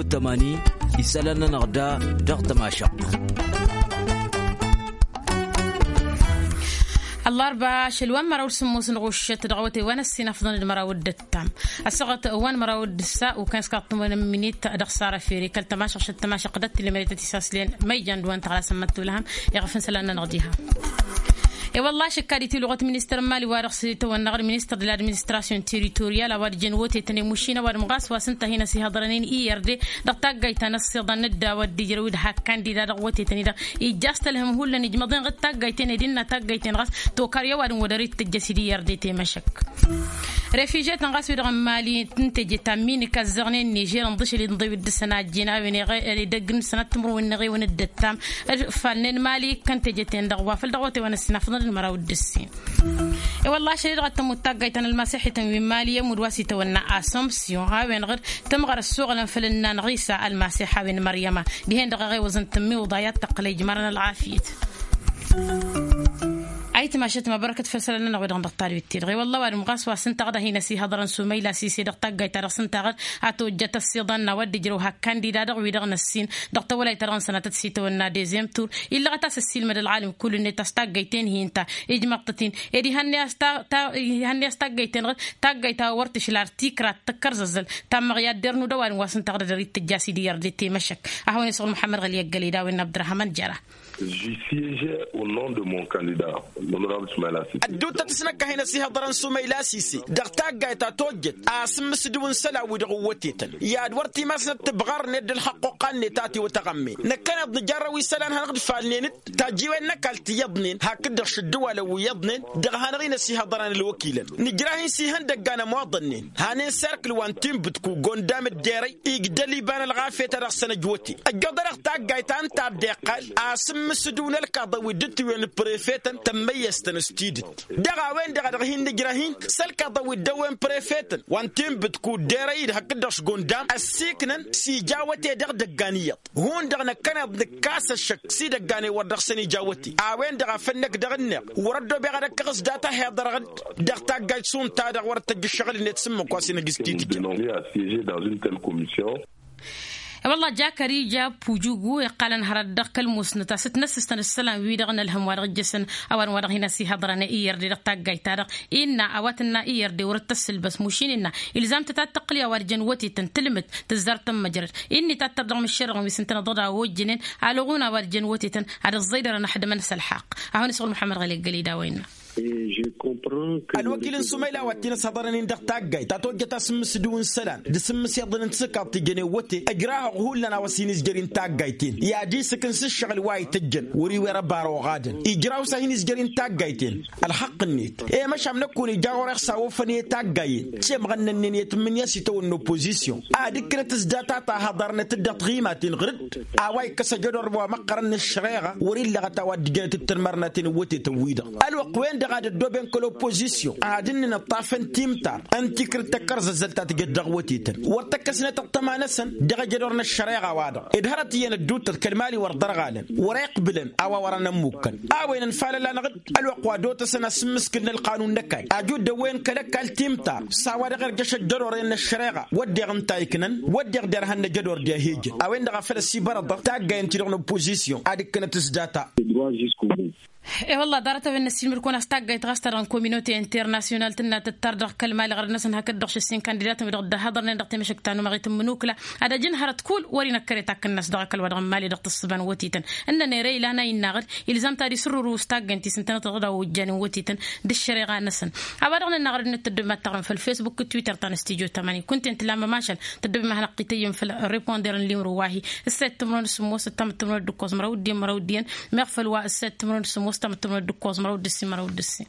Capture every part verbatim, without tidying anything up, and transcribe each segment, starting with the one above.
Tămani isălan-nănăɣ da dăɣ-tămašăɣt. Ăllarba ašăl wa n-măraw d-sǝmmos n-ɣuššăt dăɣ-awătay wa n-ăssinăfḍăn d-măraw d-ǝttam ăssaɣăt wa n-măraw d-ǝssa ukăn s-kaḍ-tǝmwănăm minit dăɣ-sara fere kăl-tămašăɣšăt tămašăɣt d-tilmăre tăt-isaslăyăn măyjan d-wa n-tăɣlasăn măttulăhăm iɣăf n-isălan-nănăɣ diha. E-wălla ašăkka d-itiluɣăt ministăr n-mali wa dăɣ-s itawănnaɣ d-ministăr d-ladministrasyon teritoriyal a-wa d-jăn wătetăn i-mušin ăwadǝm ɣas wa s-ǝnta a hin-ăsihăḍrănen i-irde dăɣ-taggayt ta n-ăssiḍăn n-dd a-wa dd-ijrăw d-hak kandida dăɣ-wătetăn-i-dăɣ ija a-s tălhăm hullan ijmăḍ-en ɣǝd taggayt-en ed innă taggayt-en ɣas tokar i-ăwadǝm wăr dăr-ittǝjjăs d-i-irde temăšăk. Refiže-tăn ɣas wi-dăɣ n-mali n-teje ta n-minik ăzzăɣnen nižer ǝnḍǝšăl inḍew d-dăr-săn a ăjjin a-wen edăgg n-sănat timǝrwen n-eɣewăn d-ǝttam d-ǝffalnen mali ikkăn teje-ten-dăɣ wa făl dăɣ-wătewăn ăssinafăḍăn d-măraw d-ǝssin. E-wălla ašăl-i-dăɣ ad-tămmut taggayt ta n-ălmasixit n-wi n-mali i-ămudd wa s-itawănna asomsyon a-wen-dăɣ d-tămɣăr ăssoɣălăn făll-ǝnna n-ɣisa ălmasix a-wen măryăma dihen-dăɣ eɣewăẓăn tǝmmiwǝḍ a i-ad-tăqqǝl ejmărăn ălɣafyăt. Ayǝtmašăt măbărăkăt făll-isălan-nănăɣ wi-dăɣ n-dăɣ-talwit-ti-dăɣ i-wălla ăwadǝm ɣas wa s-ǝnta a ɣǝd a hin-ăsihăḍrăn sumăyla sise dăɣ-taggayt ta dăɣ-s ǝnta a ɣǝd a tojjăt ăssiḍăn n-a-wa dd-ijrăw hak kandida-dăɣ wi-dăɣ n-ăssin dăɣ-tawălayt ta dăɣ-năsăn a tăt-sitawănna dezem tur illăɣăt a-s ăssiilmăd ălɣalăm kull-net a-s taggayt-en hi-ǝnta ijmăḍ-tăt-in ed ihănne a-s taggayt-en ɣǝd taggayt ta wăr tǝšla ar tikra tăkkărzăzzăl ta n-măɣyadder n-udăwalăn wa s-ǝnta a ɣǝd a dăr-ittǝjja a-s idǝyyăr de temăšăk. A hawăn-isăɣ n-muḥămmăd ɣăli ăggăled a-wen n-abdărahaman jăra. Ădduuttăt s-năkk a hin-ăsihăḍrăn s-umăyla sise dăɣ-taggayt ta tojjăt a-s ǝmmǝsdǝw n-isălan-wi-dăɣ ǝwwătetăn i-ad-wăr timasnăt tǝbɣar-net d-ǝlxăqqoqqa-net a tiwătăɣămme năkkăneḍ nǝjarrăw isălan-hanăɣ d-ifalnen-dd tajjiwen n-ăkall ti iyyăḍnen hakd-dăɣ šǝddǝwalăn wi iyyăḍnen dăɣ-hanăɣ-in ăsihăḍrăn ălwăkilăn nǝjrah-in s-ihăndăgga n-ămoḍănnen hanen serkǝl wa n-tinbǝtku gondam d-derăy igdăl iba n-ălɣafyăt a dăɣ-săn ăjwăte ăjjoḍ-anăɣ taggayt ta ǝnta a dd-iqqal a-s ǝmmǝsǝdǝw n-ălkaḍăn wi dd-ǝtwǝyăn d-prefetăn tămmăyyăstăn s-tidǝt dăɣ-a-wen-dăɣ a dăɣ-hin-nǝjrăh-in s-ălkaḍăn wi dd-ăwwen prefetăn wa n-tinbǝtku d-erăy-dd hakd-dăɣ s-gondam ăssiiknăn s-ija awăte dăɣ-idăggan iyyăḍ hundăɣ năkkăneḍ nǝkkas ăššăk s-idăggan i-wăr dăɣ-săn ija awăte a-wen-dăɣ a făl năkk dăɣ-ǝnneɣ wăr-ăddobeɣ ad-ăkkăɣ s-data a hi-iḍărăɣ-dd dăɣ-taggayt šund ta-dăɣ wăr tăjj ǝššăɣǝl-net s-ǝmmǝk wa s-inăgg s-titǝjja. E-wălla jakăr ija pujugu iqqalăn hărăt dăɣ-kăl-musnăt a-s ǝtnăssǝstăn ǝssălan-wi-dăɣ n-ălhăm wa dăɣ-ǝjjăsăn ăwadǝm wa dăɣ-hin-ăsihăḍrăn i-irde dăɣ-taggayt-ta-dăɣ innă a-wa tǝnna i-irde wăr-dd tăssǝlbăs mušin innă ilzam-tăt ad-tăqqǝl i-a-wa d-jăn wătetăn tǝlmǝd tǝzzar tămmăjrăd inn'-i ta t-tărdăɣ mǝššerăɣăn wi s-ǝntănăḍ-dd a ojjănen alɣun a-wa d-jăn wătetăn ad-ǝẓẓăydărăn ăḥdămăn s-ălḥaqq. Ahăwăn-isɣǝl muḥămmăd ɣăli ăggăled a-wa innă. Ălwăkil n-sumayla wa t-in-ăshăḍărăn-in dăɣ-taggayt ta tojjăt asǝmmǝsǝdǝw n-isălan d-asǝmmǝsiyăḍăn n-tisǝkaḍt tijăn i-wăte ăjrahăɣ hullan a-wa s-hin-izjăr-in taggayt-en i-ad-isǝkǝn s-ǝššăɣǝl wa itǝjjăn wăr-iwwăr ăbar oɣadăn ijraw s-a hin-izjăr-in taggayt-en. Ălxăqq-net i-măšan năkkun ija ɣur-e s-awăfăn i-taggayen cemɣăn-nănnen i-tǝmmǝnǝya s-itawănna opozisyon ad-ǝkkǝnăt s-data ta hăḍărnăt-dd dăɣ-tiɣimaten ɣǝr-dd a-wa ikkăs ajădor wa măqqărăn n-ăššăreɣa wăr-illăɣăt a-wa dd-ǝjjănăt d-tănmărnaten n-wătetăn-wi-dăɣ ălwăqq-wen-dăɣ ad-ăddooben kăl-opozisyon ad-ǝnnǝn ăṭṭafăn timtar n-tikrǝt tăkkărzăzzăl ta tǝjăt dăɣ-wătetăn wăr tăkkăsnăt ăṭṭăma-năsăn dăɣ-ajădor n-ăššăreɣa-wa-dăɣ ed hărăt iyyăn ădduuttăt kăl-mali wăr ḍărɣalăn wăr-iqbǝlăn a-wa wăren ămmukkăn a-wen ănfalăla n-aɣǝd ălwăqq wa dd-otăsăn asǝmmǝskǝl n-ălqanun n-ăkall ajud dăwwăyăn kăl-ăkall timtar s-a-wa dăɣ-irjăš ăjjădor-en n-ăššăreɣa wădden ǝnta iknăn wădden derhan n-ajădor d-ehejăn a-wen-dăɣ a făl ăsibărăḍăɣ taggayen-ti-dăɣ n-opozisyon ad-ǝkkǝnăt s-data. E-wălla ḍarăt a-wen n-ăssiilmăd-kăwăn a-s taggayt ɣas ta dăɣ-n kominote internasyonal tǝnna tǝttar dăɣ-kăl-mali ɣărăd-năsăn hakd-dăɣ šăssin kandidatăn wi-dăɣ dd-ăhhăḍărnen dăɣ-temăšăkt ta n-umăɣit n-imǝnukla ad-ăj n-hărăt kull wăr-inăkkăre takk-năs dăɣ-ăkall wa dăɣ-n mali dăɣ-tǝssǝba n-wătetăn ǝnnăn ere ilan a innă aɣǝd ilzam ta d-isǝrrǝru s-taggaynt-i s-ǝntănăt dăɣ-dd-a ojjănen wătetăn d-ăššăreɣa-năsăn. A-wa dăɣ-nănn aɣrǝd n-tăddobem ad-taɣrǝm făll-fesbuk d-twitter ta n-studyo tămani kunta-en tǝla mămašal tăddobem ad-hanăɣ-t-ităyyǝm făll-riponder n-limru wa-hi. Ǝssayăt timǝrwen d-sǝmmos ǝttam d-timǝrwen d-ǝkkoẓ măraw d-iyyăn măraw d-iyyăn meɣ făll-wa ǝssayăt timǝrwen d-sǝmmos ǝttam d-timǝrwen d-ǝkkoẓ măraw d-ǝssin măraw d-ǝssin.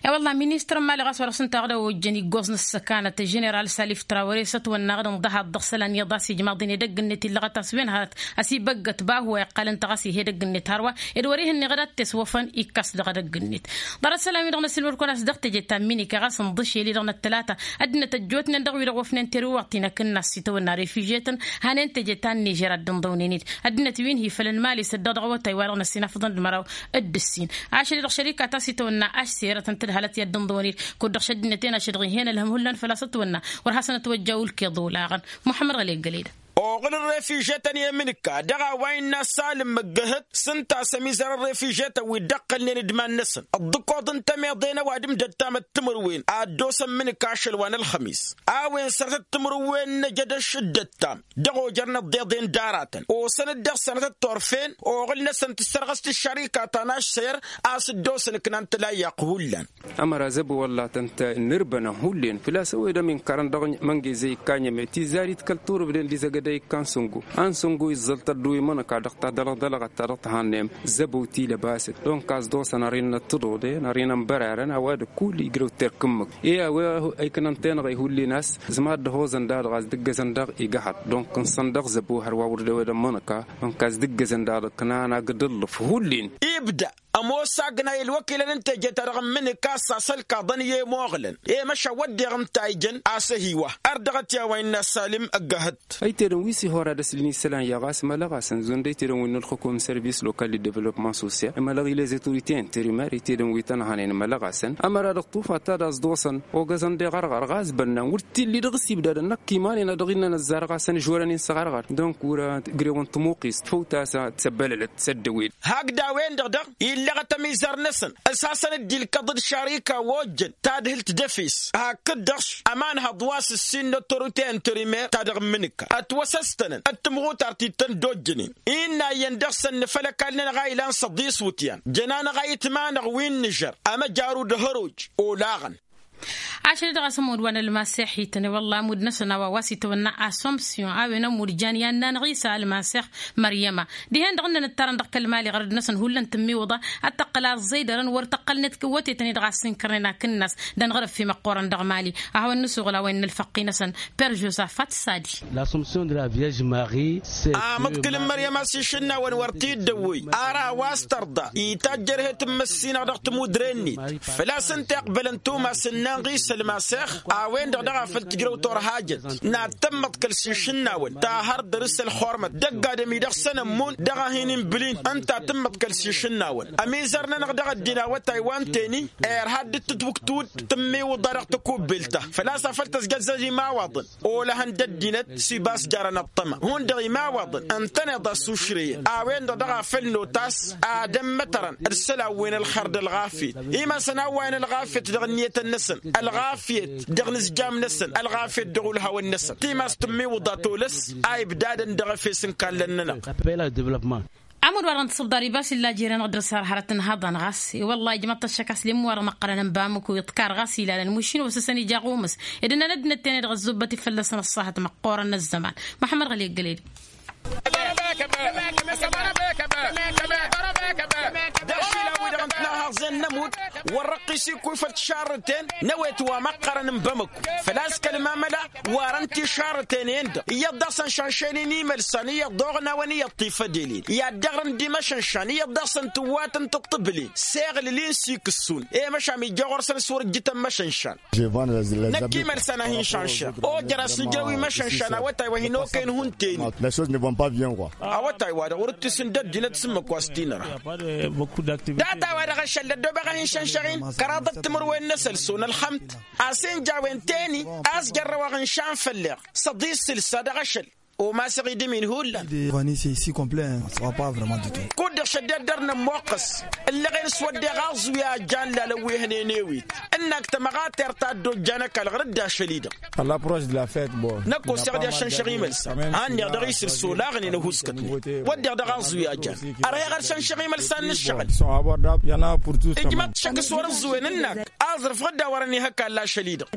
E-wălla ministăr n-mali ɣas wa dăɣ-s ǝnta a ɣǝd a ojjăn iggoẓ n-ăssăkanăt ženeral salif trawăre s-ătwănna aɣǝd ǝnḍăhaḍ dăɣ-isălan iyyăḍ a-s ijmaḍ-in edăgg-net illăɣăt a-s wen hărăt ăsibăggăt bahu wa iqqal ǝnta ɣas ih' edăgg-net hărwa ed wăr-ih'-ǝnneɣ ad-t-eswăfăn ikkas dăɣ-edăgg-net. Ḍarăt isălan-wi-dăɣ n-ăsilmăd-kăwăn a-s dăɣ-teje ta n-minike ɣas ǝnḍǝšel-i-dăɣ n-ăttălata ăddinăt ăjjootnen dăɣ-wi-dăɣ wăfnen terǝwăɣt-i n-akǝnnas s-itawănna refizhetăn hanen teje ta n-nižer ad-dd-ǝnḍăwnen-dd ăddinăt wi n-hi-făl n-mali s-ăddiɣ dăɣ-awătay wa-dăɣ. s-inafḍăn d-măraw d-ǝssin. Ašăl-i-dăɣ šărika ta s-itwănna ašserăt n-tǝdhalăt i-ad-dd-ǝnḍǝwăn-dd kud-dăɣ šăddinăt-en ašăl-dăɣ ih'-en ălhăm hullan făl-a-s ătwănna wăr hasăn-ătwăjja ulkeḍ olaɣăn. Muḥămmăd ɣăli ăggăled. Oɣǝl n-refižetăn i-amǝnǝka dăɣ-a-wa innă salǝm măggăhăt s-ǝnta a-s ămizăr n-refižetăn wi dd-ăqqălnen d-iman-năsăn ǝḍḍǝkoḍ n-tămeḍe n-ăwadǝm d-ăttam d-timǝrwen a ăddoosăn mǝnǝka ašăl wa n-ălxămis. A-wen sănătăt timǝrwen n-ejădăš d-ăttam dăɣ-ojăr n-ăḍḍeḍen d-aratăn osăn-dd dăɣ-sănătăt turfen oɣǝl-năsăn tǝssărɣăs-t ǝššărika ta n-ašser a-s dd-osăn ǝknan tǝlayyaq hullan. Ămăra zăbo wălla tăn-t-nǝrbănăn hullen făl-a-s ăwedăm inkarăn dăɣ-măngezăy ikka n-eme tizzarit kăl-turǝbden d-izăgădăy ikka n-săngo a n-săngo izzăl tăddu imănăka dăɣ-tadălăɣ dălăɣăt ta dăɣ-tihănnem. Zăbo tilăbasăt donc a-s dd-osăn ărin n-ăttăḍoḍe n-ărin n-bărarăn a-wa d-kull igrăw terk ǝmmǝk i-a-wa ăykănăn tenăɣăy hullen a-s zǝma dd-ăhoẓăn dadăɣ a-s dd-ǝggăzăn daɣ igăhăḍ donc n-săn dăɣ-zăbo hărwa wăr dd-ewădăn imănăka. Donc a-s dd-ǝggăzăn dadăɣ kănana gǝdǝllǝf hullen. Ibda ămoos agnay ălwăkilăn n-teje-ta-dăɣ n-imǝnǝka a-s asălkaḍăn i-ămoɣlăn i-măšan wădden ǝnta a ijăn a-s ăhiwa. Ărdăɣăt i-a-wa innă salǝm ăggăhăt. Ăytedăn wi s-ihora d-ăslin isălan i-a ɣas mălăɣasăn zund ăytedăn wi n-ălxukum n-sărvis lokal d-devlopman sosyal mălăɣ-i lez autoritey n-terimer ăytedăn wi tăn-hănen mălăɣasăn. Ămăra dăɣ-tufa ta d-a-s ḍosăn ogăzăn d-eɣărɣăr ɣas bănnan wăr t-illi dăɣ-s ibdadăn năkk iman-en a dăɣ-innăn ăzzarăɣ-asăn žorăn-in s-eɣărɣăr. Donc wăr-ăgrewăn tămuqist făw ta s-tăbbălălăt s-ăddăwel. Hakd a-wen-dăɣ daɣ illăɣăt ămizăr-năsăn s-hasăn-dd-ilkăḍ d-šarika wa ojjăn tadhǝlt d-efes hakd-dăɣ ămanhăḍ wa s-ǝssin n-ăttorute n-terimer ta dăɣ-n imǝnǝka ătwăsăstănăn d-timɣutar ti tăn-dd-ojjănen. Innă iyyăn dăɣ-săn nǝfăl ăkall-nănăɣ a ilan s-ăḍis iwǝtyan jănanăɣ a itmanăɣ wi n-inǝžăr ămăjaru d-ehăruj. Olaɣăn. Ašăl-i-dăɣ a-s ămudd wa n-ălmasex ităn i-wălla ămudd-năsăn a-wa wa s-itwănna asomsyon a-wen ămudd jan i-ad-nanăɣ isa ălmasex. Măryăma dihen-dăɣ ǝnnăn ǝttarăn dăɣ-kăl-mali ɣărăd-năsăn hullan tǝmmiwǝḍa ad-tăqqăl aẓẓăydărăn wăr tăqqălnet wătetăn-i-dăɣ a-s ǝnkărnen akǝnnas. Dănɣărăf i-măqqoorăn dăɣ-mali ad-hawăn-nǝsuɣǝl a-wen n-ălfăqqi-năsăn. Per žosafat sadi. Amǝḍkǝl n-măryăm a-s išǝnnawăn wăr t-dd-ăwwăy ara a-wa s-tărḍa itajj ărhet n-măssinăɣ dăɣ-timudre-net. Făl-a-s ǝnta iqbălăn tumas ǝnnan ɣis ălmasex. A-wen-dăɣ daɣ a făl tǝjrăw turhajăt n-ad-tǝmmăḍ kăl-s išǝnnawăn tahăr dăr-s ălxormăt dăgg-adăm-i dăɣ-săn ămmun dăɣ-ad-hin-inbǝlin. Ǝnta tǝmmăḍ kăl-s išǝnnawăn ămizăr-nănăɣ dăɣ-ăddin awătay wa n-teni. Irha dd-tǝtwǝktǝwǝd tǝmmiwǝḍa dăɣ-tăkubbelt-ta făl-a-s a făl tăzjăzzăz imawaḍăn. Olăhăn d-ăddinăt s-ibas jarăn ăṭṭăma hundăɣ imawaḍăn ǝntăneḍ a-s ušreyăn a-wen-dăɣ dăɣ-a făl notas. Ad-ămmătărăn d-isălan wi n-ălxer d-ălɣafyăt imasăn a ǝwwayăn ălɣafyăt dăɣ-ǝnniyătăn-năsăn ălɣafyăt dăɣ-inǝzjam-năsăn ălɣafyăt dăɣ-ulhawăn-năsăn timas tǝmmiwǝḍa tolăs. A ibdadăn dăɣ-efes n-kallăn-nănăɣ. Ămudd-wa-dăɣ n-tisǝbḍar ibas illa jer-anăɣ dăr-s har hărăt n-ihăḍan ɣas i-wăllah ijmăḍ-t ăššăk a-s limmu-wa-dăɣ măqqărăn n-bamǝku iḍkar ɣas ilalăn mušin wa s-ăsăn ija ɣumǝs. Ed ǝnnăn ăddinăt-ten-i-dăɣ ăzzubbăt ifălla-săn ăṣṣahăt măqqoorăn n-ăzzăman. Muḥămmăd ɣăli ăggăled. Dăɣ-išilan-wi-dăɣ n-tinăhaẓen n-ămudd wăr-răqqis ikkuy făll-tišarrǝten n-ăwet wa măqqărăn n-bamăku. Făl-a-s kăl-mamăla warăn tišarrǝten-en-dăɣ iyyăḍ daɣ s-ănšanšen-in imălsan iyyăḍ oɣnawăn iyyăḍ tifădelen i-ad-dăɣrǝn d-imăšănšan iyyăḍ daɣ s-ăntǝwwatăn tǝṭṭǝbǝlen s-eɣlǝl-in s-ikǝssun. I-măšan ija ɣur-săn s-wăr-ǝjjǝtăn măšănšan. Năkk imălsan a hin-šanšăɣ ojăr a-s nǝjrăw imăšănšan awătay wa hin-okăyăn hun-teni. Awătay-wa-dăɣ wăr-ǝttǝsǝn d-ăddinăt s-ǝmmǝk wa s-t-inăra. Data-wa-dăɣ ašăl d-ăddobeɣ a hin-šanšăɣ-in kăraḍăt timǝrwen n-asălso n-ălxămt. A-s inja a-wen teni a-s jărrăwăɣ ǝnšan făll-eɣ s-ăḍi s-sǝlsa dăɣ-ašăl. Omasăɣ idǝm-in hullan. Kud-dăɣ šăddeḍ dăr-nămmoqqăs ǝllăɣen s-wădden aẓwi a jan lalăn wi hănen ewit. Ǝnnak tămăɣatert ta dd-ojjan ăkall ɣur-dd ašăl-i-dăɣ. Năkk oseɣ-di ašănšăɣ imălsan a ǝnneɣ dăɣ-isǝl s-olaɣnen ăhuskătnen. Wădden dăɣ-aẓwi a jan ărheɣ ad-šănšăɣ imălsan n-ǝššăɣǝl. Ijmăḍ šăkk s-wăr-ăẓẓuwen ǝnnak aẓrǝf ɣǝdda wărăn ihăkall ašăl-i-dăɣ.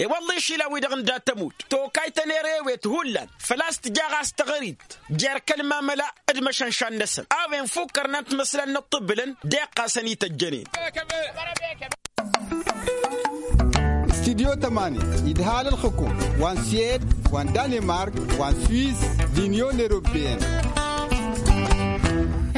I-wălla-i išilan-wi-dăɣ n-dat-ămudd tokayt ănerewet hullan făl-a-s tǝja ɣas tăɣrit jer-kăl-mamăla d-imăšănšan-năsăn. A-wen fukkărnan timǝslan n-ǝṭṭǝbǝlăn d-iqqasăn ităjjănen. Studyo tămani idhal ălxǝkum wa n-suwed wa n-danimark wa n-swiss d-inyon eropeyăn.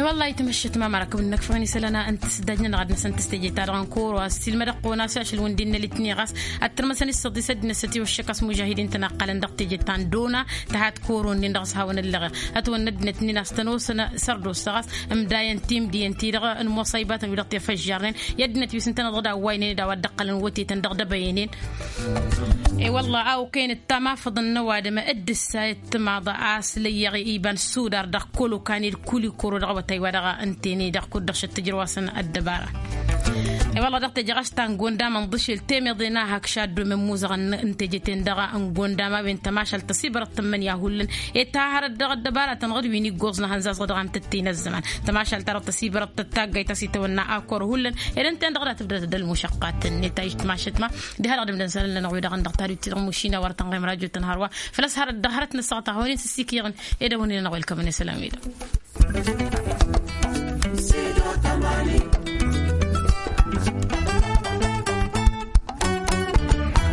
Wăllah itmăššăt ma mărakăb n-năkfăɣăn isălan n-tǝsdajnăn dăɣ-ad-năsăn tǝstejeta dăɣ-n koro a-s ilmădăɣ qona s-ašăl wǝndin n-alitni ɣas ad-tărmăsăn isăḍisăt d-năsăt iwăššăk a-s mužahidin tăn-aqqalăn dăɣ-teje ta n-dona. Tăhat koro-nin dăɣ-s hawăn-ăllăɣen ătwănna ăddinăt-nin a-s tăn-osăn sărdos ɣas ǝmdayăn timdiyăn-ti-dăɣ n-imuṣăybatăn wi-dăɣ tefăžžarnen i-ăddinăt wi s-ǝntăneḍ dăɣ-dawwaynen d-a-wa dd-ăqqălăn wătetăn dăɣ-dăbăyănen. I-wălla a okăyăn d-tamafăḍăn n-ăwadǝm d-ǝssa i-ăttămaḍ a-s lăyyăɣ iba n-sudar dăɣ-kolokan i-dd-kuli koro dăɣ-awătay wa dăɣ-ǝnta-en-i dăɣ-kud-dăɣ šăt tǝjrǝw-asăn ăddăbara. I-wălla dăɣ-teje ɣas ta n-gondam ǝnḍǝšel temăḍe n-ahăk šaddomen muzăɣăn n-teje-ten-dăɣ n-gondam a-wen tămašalt tăsibărăḍ tǝmmǝnǝya hullan. Ed ta hărăt dăɣ-ăddăbara tănɣăd wi n-iggoẓ n-ahănzaẓ dăɣ-amtătte n-ăzzăman tămašalt ta dăɣ-tăsibărăḍ tăt-taggayt a-s itawănna a kăr hullan. Ed ǝnta-en-dăɣ dăɣ-tǝbdăt d-ălmušăqqat-net a ištmašăt ma diha-dăɣ d-imdăn isălan-nănăɣ-wi-dăɣ ǝndăɣ tadut-ti-dăɣ mušina wăr tăn-ɣem rajot tăn-hărwa. Făl-ăshărăt dăɣ-hărăt n-ăssaɣăt a hawăn-in s-ǝssikǝyăɣ-in ed a wăn-in-ănăɣ welkămăn isălan-wi-dăɣ.